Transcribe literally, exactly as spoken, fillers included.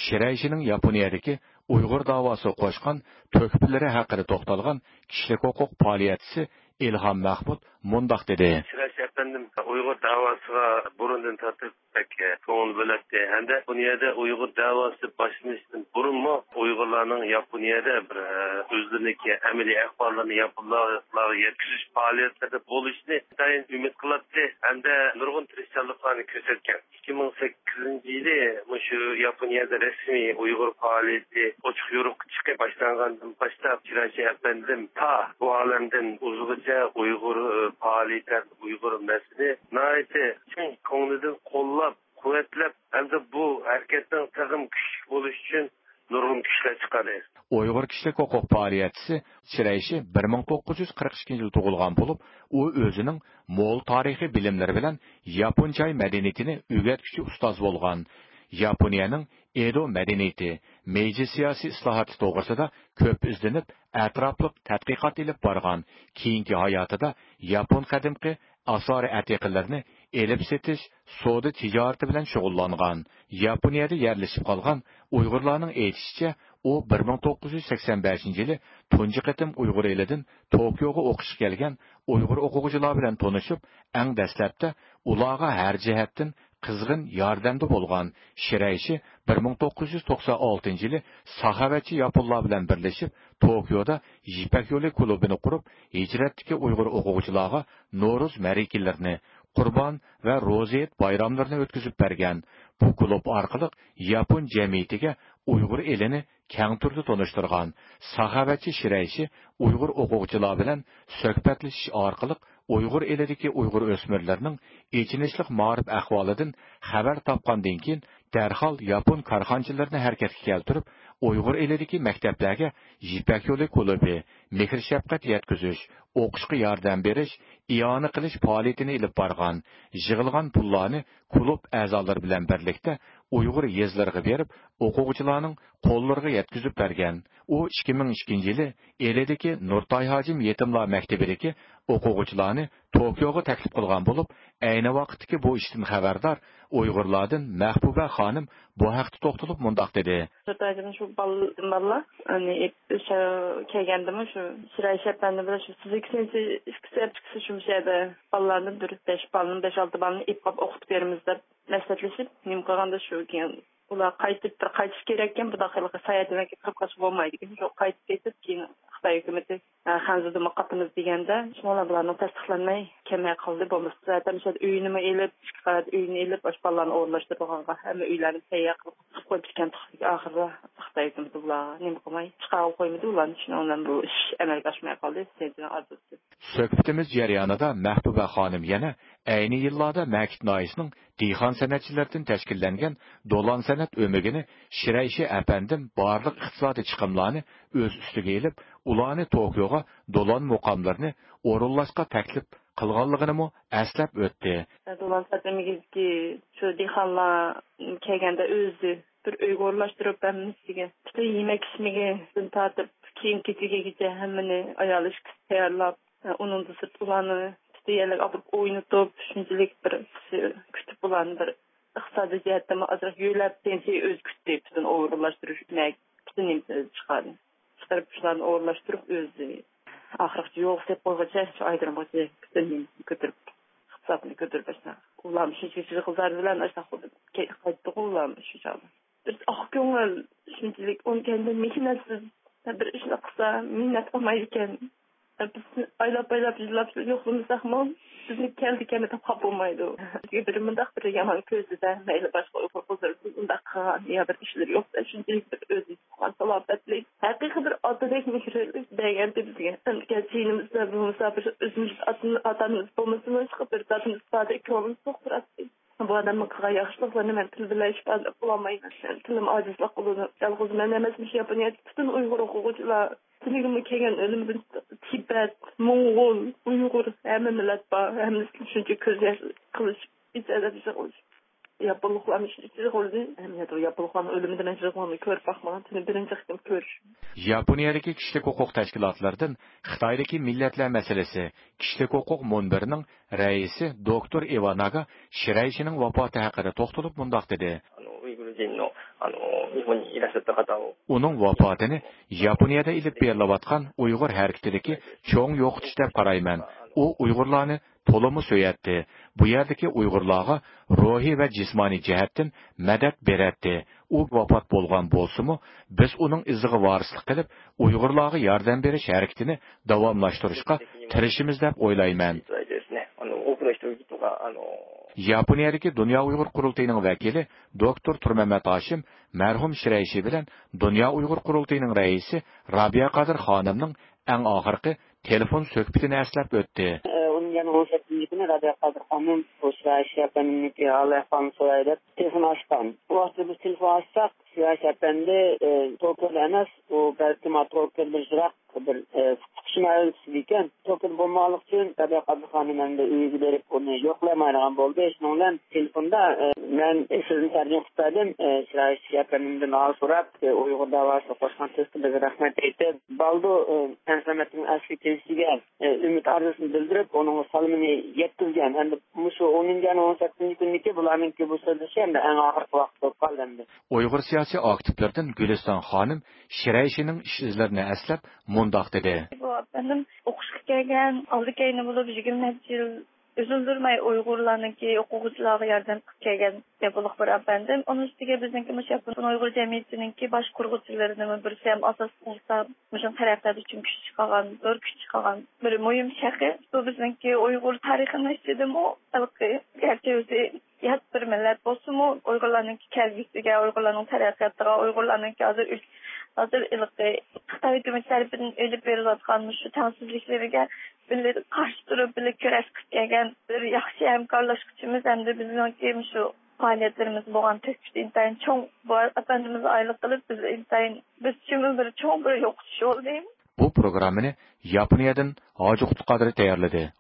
شىرەيشىنىڭ ياپونىيەدىكى ئۇيغۇر داۋاسىغا قوشقان تۆھپىلىرى ھەققىدە توختالغان كىشىلىك ھوقۇق پائالىيەتچىسى ئىلھام مەھمۇد مۇنداق دېدى. شىرەيشى ئەپەندىم ئۇيغۇر داۋاسىغا بۇرۇندىن تارتىپ بەك كۆڭۈل بۆلەتتى ھەمدە ياپونىيەدە ئۇيغۇر داۋاسى باشلىنىشتىن بۇرۇنمۇ ئۇيغۇرلارنىڭ ياپونىيەدە بىر، ئە، ئۆزلىرىنىڭكى ئەمەلىي ئەھۋاللىرىنى ياپونلارغا يەتكۈزۈش پائالىيەتلىرىدە بولۇشىنى ئىنتايىن ئۈمىد قىلاتتى ھەمدە نۇرغۇن تىرىشچانلىقلارنى كۆرسەتكەن. ئىككى مىڭ سەككىزىنچى يىلى مۇشۇ ياپونىيەدە رەسمىي ئۇيغۇر پائالىيىتى ئوچۇق يورۇققا چىقىپ باشلانغاندىن باشلاپ، شىرەيشى ئەپەندىم تا بۇ ئالەمدىن ئۇزغىچە ئۇيغۇر، ئە، پائالىيىتى، ئۇيغۇر مەسىلىسى ناھايىتى چىن كۆڭلىدىن قوللاپ، قۇۋۋەتلەپ ھەمدە بۇ ھەرىكەتنىڭ تېخىمۇ كۈچلۈك بولۇشى ئۈچۈن نۇرغۇن كۈچلەر چىقاردى. ئۇيغۇر كىشىلىك ھوقۇق پائالىيەتچىسى شىرەيشى بىر مىڭ توققۇز يۈز قىرىق ئىككىنچى يىلى تۇغۇلغان بولۇپ، ئۇ ئۆزىنىڭ مول تارىخىي بىلىملىرى بىلەن ياپون چاي مەدەنىيىتىنى ئۆگەتكۈچى ئۇستاز بولغان. ياپونىيەنىڭ ئېدو مەدەنىيىتى، مېيجى سىياسىي ئىسلاھاتى توغرىسىدا كۆپ ئىزدىنىپ، ئەتراپلىق تەتقىقات ئېلىپ بارغان. كېيىنكى ھاياتىدا ياپون قەدىمكى ئاسارە ئەتىقىلىرىنى ئېلىپ سېتىش، سودا تىجارىتى بىلەن شۇغۇللانغان. ياپونىيەدە يەرلىشىپ قالغان ئۇيغۇرلارنىڭ ئېيتىشىچە، ئۇ بىر مىڭ توققۇز يۈز سەكسەن بەشىنچى يىلى تۇنجى قېتىم ئۇيغۇر ئېلىدىن توكيوغا ئوقۇشقا كەلگەن ئۇيغۇر ئوقۇغۇچىلار بىلەن تونۇشۇپ، ئەڭ دەسلەپتە ئۇلارغا ھەر جەھەتتىن قىزغىن ياردەمدە بولغان. شىرەيشى بىر مىڭ توققۇز يۈز توقسان ئالتىنچى يىلى ساخاۋەتچى ياپونلار بىلەن بىرلىشىپ، توكيودا يىپەك يولى كۇلۇبىنى قۇرۇپ، ھىجرەتتىكى ئۇيغۇر ئوقۇغۇچىلارغا نورۇز مەرىكىلىرىنى، قۇربان ۋە روزى ھېيت بايراملىرىنى ئۆتكۈزۈپ بەرگەن. بۇ كۇلۇب ئارقىلىق ياپون جەمئىيىتىگە ئۇيغۇر ئېلىنى كەڭ تۈردە تونۇشتۇرغان. ساخاۋەتچى شىرەيشى ئۇيغۇر ئوقۇغۇچىلار بىلەن سۆھبەتلىشىش ئارقىلىق ئۇيغۇر ئېلىدىكى ئۇيغۇر ئۆسمۈرلىرىنىڭ ئېچىنىشلىق مائارىپ ئەھۋالىدىن خەۋەر تاپقاندىن كېيىن، دەرھال ياپون كارخانىچىلىرىنى ھەرىكەتكە كەلتۈرۈپ، ئۇيغۇر ئېلىدىكى مەكتەپلەرگە يىپەك يولى كۇلۇبى، مېھىر-شەپقەت يەتكۈزۈش، ئوقۇشقا ياردەم بېرىش، ئىئانە قىلىش پائالىيىتىنى ئېلىپ بارغان. يىغىلغان پۇللارنى كۇلۇب ئەزالىرى بىلەن بىرلىكتە ئۇيغۇر يېزىلىرىغا بېرىپ، ئوقۇغۇچىلارنىڭ قوللىرىغا يەتكۈزۈپ بەرگەن. ئۇ ئىككى مىڭ ئىككىنچى يىلى ئىلىدىكى نۇرتاي ھاجىم يېتىملار مەكتىپىدىكى ئوقۇغۇچىلارنى توكيوغا تەكلىپ قىلغان بولۇپ، ئەينى ۋاقىتتىكى بۇ ئىشتىن خەۋەردار ئۇيغۇرلاردىن مەھبۇبە خانىم بۇ ھەقتە توختىلىپ مۇنداق دېدى. نۇرتاي ھاجىم شۇ بال-، بالىلار، يەنى ئۆشە كەلگەندىمۇ شۇ شىرەيشى ئەپەندى بىلەن شۇ فىزىكا سىنىپى ئىككىسى، ئىككىسى شۇ يەردە بالىلارنى بىر بەش بالىنى، بەش-ئالتە بالىنى ئېلىپ قاپ ئوقۇتۇپ بېرىمىز دەپ مەسلىھەتلىشىپ، نېمە قىلغاندا شۇ كېيىن ئۇلار قايتىپ، بىر قايتىش كېرەككەن، بۇنداق خىل ساياھەتلەرگە كىرىپ قالسا بولمايدىكەن. شۇ قايتىپ كېتىپ، كېيىن خىتاي ھۆكۈمىتى، ئە، خەنزۇدىمۇ قاتىمىز دېگەندە، شۇنىڭ بىلەن بۇلارنىڭ تەستىقلانماي كەلمەي قالدى. بولمىسا، زاتەن شۇ يەردە ئۆينىمۇ ئېلىپ، ئىككى قەۋەت ئۆينى ئېلىپ، ئاشۇ بالىلارنى ئورۇنلاشتۇرىدىغانغا ھەممە ئۆيلەرنى تەييار قىلىپ، قىلىپ قويۇپتىكەن. ئاخىرىدا خىتاي ھۆكۈمىتى بۇلارغا نېمە قىلماي، چىقارغىلى قويمىدى ئۇلارنى. شۇنىڭ بىلەن بۇ ئىش ئەمەلگە ئاشماي قالدى. سىنجىنىڭ ئارزۇسى. سۆھبىتىمىز جەريانىدا مەھبۇبە خانىم يەنە ئەينى يىللاردا مەكىت ناھىيەسىنىڭ دېھقان سەنئەتچىلىرىدىن تەشكىللەنگەن دولان سەنئەت ئۆمىكىنى شىرەيشى ئەپەندىم بارلىق ئىقتىسادىي چىقىملارنى ئۆز ئۈستىگە ئېلىپ، ئۇلارنى توكيوغا دولان مۇقاملىرىنى ئورۇنلاشقا تەكلىپ قىلغانلىقىنىمۇ ئەسلەپ ئۆتتى. دولان سەنئەت ئۆمىكىدىكى شۇ دېھقانلار كەلگەندە ئۆزى بىر ئۆيگە ئورۇنلاشتۇرۇپ، ھەممىسىگە پۈتۈن يېمەك-ئىچمىكىدىن تارتىپ، كىيىم-كېچىكىگىچە ھەممىنى ئايالى ئىككىسى تەييارلاپ، ئۇنىڭدىن سىرت ئۇلارنى پۈتۈن يەرلەرگە ئاپىرىپ ئوينىتىپ، شۇنچىلىك بىر كۈتۈپ، ئۇلارنى بىر ئىقتىسادىي جەھەتتىنمۇ ئازراق يۆلەپ، تېنچى ئۆزى كۈتتى، پۈتۈن ئورۇنلاشتۇرۇش، پۈتۈن نېمىسىنى ئۆزى چىقاردى. چىقىرىپ، شۇلارنى ئورۇنلاشتۇرۇپ، ئۆزى ئاخىرغىچە يولغا سېلىپ قويغۇچە، شۇ ئايدىرىمغىچە پۈتۈن نېمىسىنى كۆتۈرۈپ، ئىقتىسادنى كۆتۈرۈپ، ئاشۇنداق. ئۇلارمۇ شۇنچە كىشىلىك قىزلار بىلەن ئاشۇنداق قايتتىغۇ ئۇلارمۇ شۇ چاغدا. بىز ئاق كۆڭۈل، شۇنچىلىك ئۇنىڭ كەينىدىن مېھنەتسىز، بىر ئىشنى قىلسا مىننەت قىلمايدىكەن. بىز ئايلاپ-ئايلاپ يىللاپ يوقلىمىساقمۇ، بىزنى كەلدى-كەلمىدى دەپ خاپا بولمايدۇ. بىزگە بىر مۇنداق بىر يامان كۆزىدە، مەيلى باشقا ئۇيغۇر قىزلىرى بۇنداق قىلغان يا بىر ئىشلىرى يوق، شۇنچىلىك بىر ئۆزى تۇغقان سالاپەتلىك، ھەقىقىي بىر ئاتىدەك مېھرىنى بەرگەنتى بىزگە. ئەمدى جېنىمىزدا بولمىسا، بىر ئۆزىمىز ئاتا-، ئاتا-ئانىمىز بولمىسىمۇ، بىر دادىمىز باردەك كۆڭلىمىز توق تۇراتتى. بۇ ئادەمنىڭ قىلغان ياخشىلىقلىرىنى مەن تىل بىلەن ئىپادىلەپ بولالمايمەن. تىلىم ئاجىزلىق قىلىدۇ. يالغۇز مەن ئەمەس، مۇشۇ ياپونىيەدىكى پۈتۈن ئۇيغۇر ئوقۇغۇچىلار، تۈنۈگۈنمۇ كەلگەن ئۆلۈمدىن تىبەت، موڭغۇل، ئۇيغۇر، ھەممە مىللەت بار. ھەممىسى شۇنچە كۆز ياش قىلىشىپ، ئىچ ئەدەپ يىغلىشىپ. ياپونلۇقلارمۇ شۇنچە يىغلىدى. ھەم ياپونلۇقلارنىڭ ئۆلۈمىدە مەن يىغلىغاننى كۆرۈپ باقمىغان. تېنى بىرىنچى قېتىم كۆرۈش. ياپونىيەدىكى كىشىلىك ھوقۇق تەشكىلاتلىرىدىن خىتايدىكى مىللەتلەر مەسىلىسى كىشىلىك ھوقۇق مۇنبىرىنىڭ رەئىسى دوكتور ئىۋاناگا شىرەيشىنىڭ ۋاپاتى ھەققىدە توختىلىپ مۇنداق دېدى. あの、ウイグル人のあの、日本にいらっしゃった方を。 ئۇنىڭ ۋاپاتىنى ياپونىيەدە ئېلىپ بېرىلىۋاتقان ئۇيغۇر ھەرىكىتىدىكى چوڭ يوقىتىش دەپ قارايمەن. ئۇ ئۇيغۇرلارنى تولىمۇ سۆيەتتى. بۇ يەردىكى ئۇيغۇرلارغا روھىي ۋە جىسمانىي جەھەتتىن مەدەت بېرەتتى. ئۇ ۋاپات بولغان بولسىمۇ، بىز ئۇنىڭ ئىزىغا ۋارىسلىق قىلىپ، ئۇيغۇرلارغا ياردەم بېرىش ھەرىكىتىنى داۋاملاشتۇرۇشقا تىرىشىمىز دەپ ئويلايمەن. あの、多くの人々が、あの、 ياپونىيەدىكى دۇنيا ئۇيغۇر قۇرۇلتىيىنىڭ ۋەكىلى دوكتور تۇرمەمەت ھاشىم مەرھۇم شىرەيشى بىلەن دۇنيا ئۇيغۇر قۇرۇلتىيىنىڭ رەئىسى رابىيە قادىر خانىمنىڭ ئەڭ ئاخىرقى تېلېفون سۆھبىتىنى ئەسلەپ ئۆتتى. ئۇنىڭ يەنە ئون سەككىزىنچى كۈنى رابىيە قادىر خانىم بۇ شىرەيشى ئەپەندىمنىڭكى ھال ئەھۋالىنى سوراي دەپ تېلېفون ئاچقان. بۇ ۋاقىتتا بىز تېلېفون ئاچساق، شىرەيشى ئەپەندى، ئە، توكيودا ئەمەس، ئۇ بەلكىم توكيودىن يىراق بىر، ئە، پۇقۇشما ئۆلكىسىدىكەن. توكيودا بولمىغانلىقى ئۈچۈن رابىيە قادىر خانىم ئەمدى ئۆيىگە بېرىپ ئۇنى يوقلايمايدىغان بولدى. شۇنىڭ بىلەن تېلېفوندا، ئە، مەن سىزنى تەرجىمە قىلىپ بەردىم، ئە، شىرەيشى ئەپەندىمدىن ھال سوراپ، ئە، ئۇيغۇر داۋاسىغا قوشقان تۆھپىلىرىگە رەھمەت ئېيتىپ، بالدۇر، ئە، ئەنسىمەتنىڭ ئەسلى كېلىشىگە، ئە، ئۈمىد ئارزۇسىنى بىلدۈرۈپ، ئۇنىڭغا سالىمىنى يەتكۈزگەن. ئەمدى مۇشۇ ئونىنچى ئاينىڭ ئون سەككىزىنچى كۈنىدىكى بۇلارنىڭكى بۇ سۆزلىشى ئەمدى ئەڭ ئاخىرقى ۋاقىت بولۇپ قالدى ئەمدى. ئۇيغۇر سىياسىي ئاكتىپلىرىدىن گۈلىستان خانىم شىرەيشىنىڭ ئىش ئىزلىرىنى ئەسلەپ مۇنداق دېدى. بۇ ئەپەندىم ئوقۇشقا كەلگەن، ئالدى كەينى بولۇپ يىگىرمە نەچچە يىل ئۈزۈلدۈرمەي ئۇيغۇرلارنىكى ئوقۇغۇچىلارغا ياردەم قىلىپ كەلگەن ياپونلۇق بىر ئەپەندىم. ئۇنىڭ ئۈستىگە بىزنىڭكى مۇشۇ ياپون ئۇيغۇر جەمئىيىتىنىڭكى باش قۇرغۇچىلىرىنىڭ بىرسى ھەم ئاساسلىق ھېساب مۇشۇ تەرەققىيات ئۈچۈن كۈچ چىقارغان، زور كۈچ چىقارغان بىر مۇھىم شەخس. بۇ بىزنىڭكى ئۇيغۇر تارىخىنىڭ ئىچىدىمۇ ھېلىقى، گەرچە ئۆزى يات بىر مىللەت بولسىمۇ، ئۇيغۇرلارنىڭكى كەلگۈسىگە، ئۇيغۇرلارنىڭ تەرەققىياتىغا، ئۇيغۇرلارنىڭكى ھازىر ئۈل-، ھازىر ھېلىقى خىتاي ھۆكۈمىتى تەرىپىدىن ئېلىپ بېرىلىۋاتقان مۇشۇ تەڭسىزلىكلىرىگە بىللە قارشى تۇرۇپ، بىللە كۈرەش قىلىپ كەلگەن بىر ياخشى ھەمكارلاشقۇچىمىز ھەمدە بىزنىڭكى مۇشۇ پائالىيەتلىرىمىزگە بولغان تۆھپىسى ئىنتايىن چوڭ. بۇ ئەپەندىمىزگە ئايلىق قىلىپ، بىز ئىنتايىن، بىز ئۈچۈنمۇ بىر چوڭ بىر يوقىتىش بولدى. بۇ پروگراممىنى ياپونىيەدىن ھاجى قۇتقادىر تەييارلىدى.